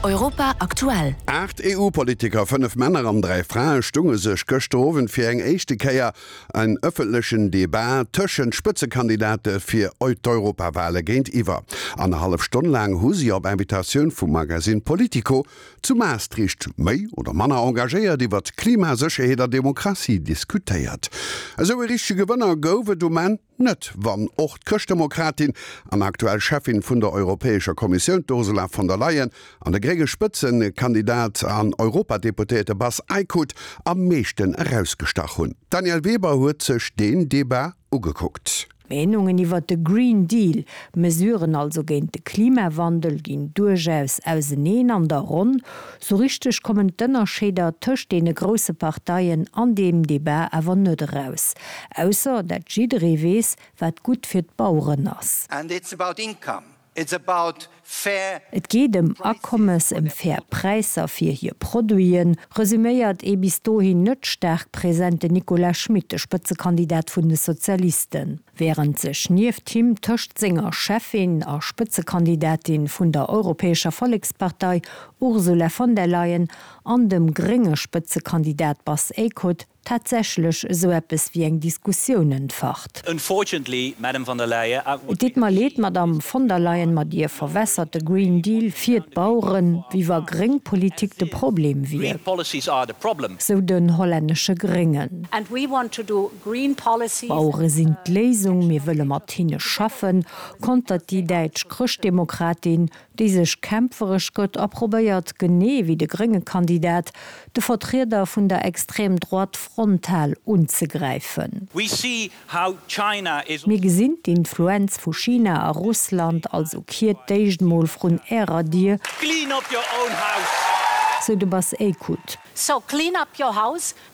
Europa aktuell. 8 EU-Politiker, 5 Männer an 3 Frae, stunge sech gëschter Owend fir eng éischte Kéier en ëffentlechen Debat tëschent Spëtzekandidate fir d'Europawale géintiwwer. Annerhallef Stonn laang hu si op Invitatioun vum Magasinn Politico zu Maastricht méi oder manner engagéiert iwwert Klima, Sécherheet a Demokratie diskutéiert. Esou e richtege Gewënner gouf et um Enn Net wann och d'Chrëschtdemokratin an aktuell Cheffin vun der Europäescher Kommissioun, d'Ursula von der Leyen, an de grénge Spëtzekandidat an Europadeputéierte Bas Eickhout am meeschten erausgestach hunn. D'Danièle Weber huet sech deen Debat ugekuckt. D'Meenungen iwwert de Green Deal, Mesuren also géint de Klimawandel, ginn duerchaus auseneen an der Ronn. Sou richteg kommen d'Ënnerscheeder tëscht deene grousse Parteien an deem Debat awer net eraus. Ausser dat jidderee weess, wat gutt fir d'Baueren ass. And it's about income. It's about fair Et geet ëm Akommes, ëm fair Präisser fir hir Produiten, resuméiert ee bis dohin net staark presenten Nicolas Schmit, de Spëtzekandidat vun de Sozialisten. Wärend sech nieft him tëscht senger Cheffin a Spëtzekandidatin vun der Europäescher Vollekspartei Ursula von der Leyen an dem grénge Spëtzekandidat Bas Eickhout tatsächlech esou eppes wéi eng Diskussioun entfacht. Unfortunately, Madam von der Leyen, I Et deet mer leed, Madamm von der Leyen, ma Dir verwässert de Green Deal fir d'Baueren, wéi wa gréng Politik de Problem wier, Green policies are the problem. sou den hollännesche Gréngen. And we want to do green policies. D'Bauere sinn d'Léisung, mir wëlle mat hinne schaffen, kontert déi däitsch Chrëschtdemokratin, déi sech kämpferesch gëtt a probéiert, genee wéi de grénge Kandidat, de Vertrieder vun der Extrême droite frontal unzegräifen. Mir gesinn d'Influenz vu China a Russland, also kiert d'éischt mol vrun ärer Dier, sou de Bas Eickhout.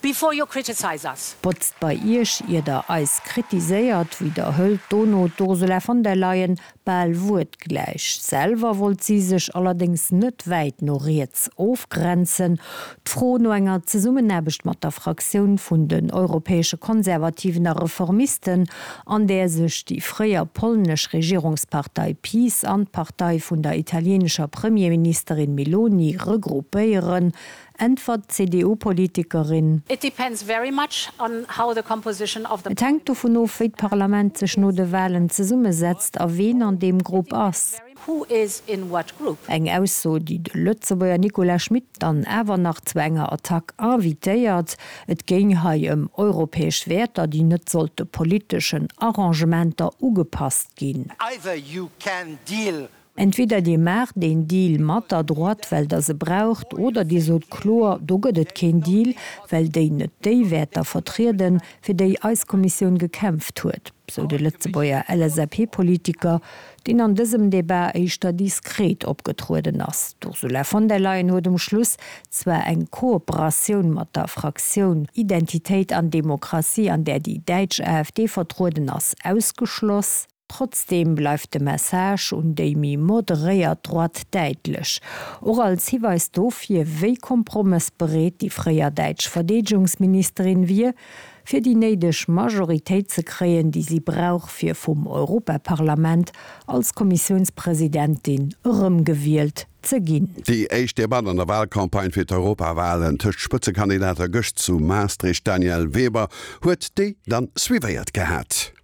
Before you criticize us. Botzt bei iech, ier der eis kritiséiert, widderhëlt dono d'Ursula von der Leyen bal wuertgläich. Selwer wollt si sech allerdéngs net wäit no riets ofgrenzen. D'Fro no enger Zesummenaarbecht mat der Fraktioun vun den europäesche Konservativen a Reformisten, an där sech déi fréier polnesch Regierungspartei PiS an d'Partei vun der italienescher Premierministerin Meloni regroupéieren, Äntwert d'CDU-Politikerin. It depends very much on how the composition of the. Et hänkt dovun of, wéi d'Parlament sech no de Walen zesummesetzt a ween an deem Grupp ass. Who is in what group. Eng Ausso, déi de Lëtzebuerger Nicolas Schmit dann awer nach zu enger Attack invitéiert. Et géing hei ëm europäesch Wäerter, déi net sollte politeschen Arrangementer ugepasst ginn. Either you can deal Entweder Dir maacht een Deal mat der Droite, well Der se braucht, oder Dir sot kloer, do gëtt et keen Deal, well déi net déi Wäerter vertrieden, fir déi eis Kommissioun gekämpft huet, sou de Lëtzebuerger LSAP-Politiker, deen an dësem Debat éischter diskret opgetrueden ass. D'Ursula von der Leyen huet um Schluss zwar eng Kooperatioun mat der Fraktioun Identitéit an Demokratie, an där déi däitsch AfD vertrueden ass, ausgeschloss. Trotzdeem bleift de Message un déi méi moderéiert Droite däitlech, och als Hiweis dofir, wéi kompromëssbereet déi fréier däitsch Verdeedegungsministerin wier, fir déi néideg Majoritéit ze kréien, déi si brauch, fir vum Europaparlament als Kommissiounspresidentin erëmgewielt ze ginn. Déi éischt Debatt an der Walcampagne fir d'Europawalen tëscht Spëtzekandidater gëscht zu Maastricht. D'Danièle Weber huet déi dann suivéiert gehat.